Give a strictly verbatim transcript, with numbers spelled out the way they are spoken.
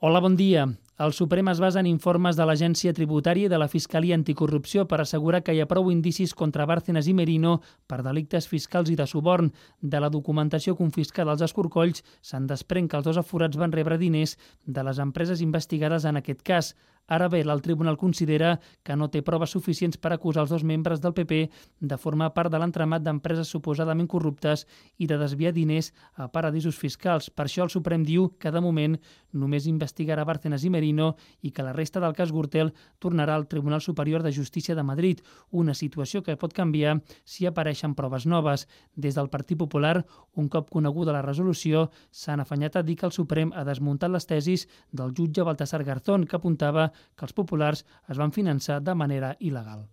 Hola, bon dia. El Suprem es basa en informes de l'Agència Tributària i de la Fiscalia Anticorrupció per assegurar que hi ha prou indicis contra Bárcenas i Merino per delictes fiscals i de suborn. De la documentació confiscada als escorcolls se'n desprèn que els dos aforats van rebre diners de les empreses investigades en aquest cas. Ara bé, el tribunal considera que no té proves suficients per acusar els dos membres del P P de formar part de l'entramat d'empreses suposadament corruptes i de desviar diners a paradisos fiscals. Per això el Suprem diu que, de moment, només investigarà Bárcenas i Merino i que la resta del cas Gürtel tornarà al Tribunal Superior de Justícia de Madrid, una situació que pot canviar si apareixen proves noves. Des del Partit Popular, un cop coneguda la resolució, s'han afanyat a dir que el Suprem ha desmuntat les tesis del jutge Baltasar Garzón, que apuntava que els populars es van finançar de manera il·legal.